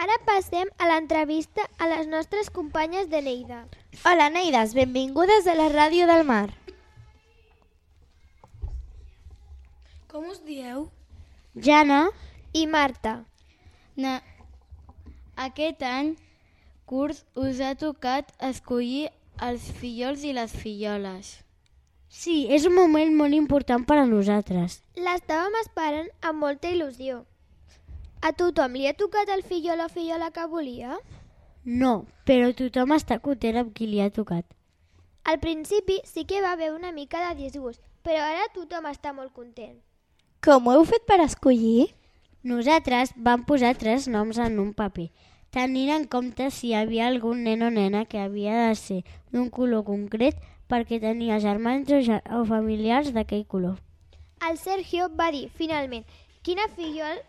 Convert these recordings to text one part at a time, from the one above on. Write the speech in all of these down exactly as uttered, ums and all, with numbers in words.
Ara passem a l'entrevista a les nostres companyes de Lleida. Hola, Neides, benvingudes a la Ràdio del Mar. Com us dieu? Jana I Marta. Na... Aquest any curs us ha tocat escollir els fillols i les filloles. Sí, és un moment molt important per a nosaltres. L'estàvem esperant amb molta il·lusió. A tothom li ha tocat el fillol o fillola que volia? No, però tothom està content amb qui li ha tocat. Al principi sí que va haver una mica de disgust, però ara tothom està molt content. Com ho heu fet per escollir? Nosaltres vam posar tres noms en un paper, tenint en compte si hi havia algun nen o nena que havia de ser d'un color concret perquè tenia germans o, ger o familiars d'aquell color. El Sergio va dir, finalment, quina fillol,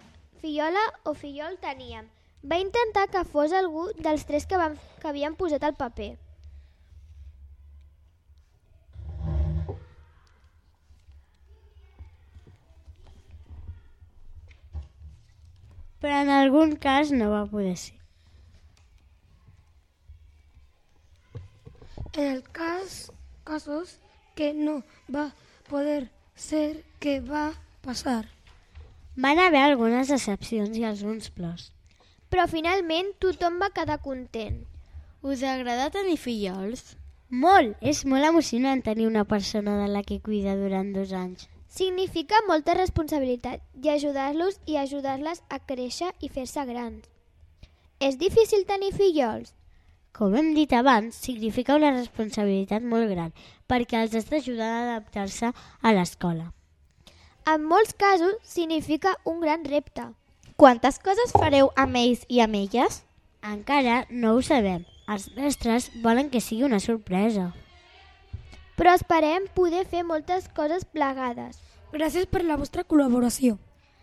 fillola o fillol teníem. Va intentar que fos algú dels tres que, vam, que havien posat al paper. Però en algun cas no va poder ser. En el cas, casos que no va poder ser, què va passar? Van haver algunes excepcions i alguns plors. Però finalment tothom va quedar content. Us agrada tenir fillols? Molt! És molt emocionant tenir una persona de la que cuida durant dos anys. Significa molta responsabilitat i ajudar-los i ajudar-les a créixer i fer-se grans. És difícil tenir fillols? Com hem dit abans, significa una responsabilitat molt gran perquè els has d'ajudar a adaptar-se a l'escola. En molts casos significa un gran repte. Quantes coses fareu amb ells i amb elles? Encara no ho sabem. Els mestres volen que sigui una sorpresa. Però esperem poder fer moltes coses plegades. Gràcies per la vostra col·laboració.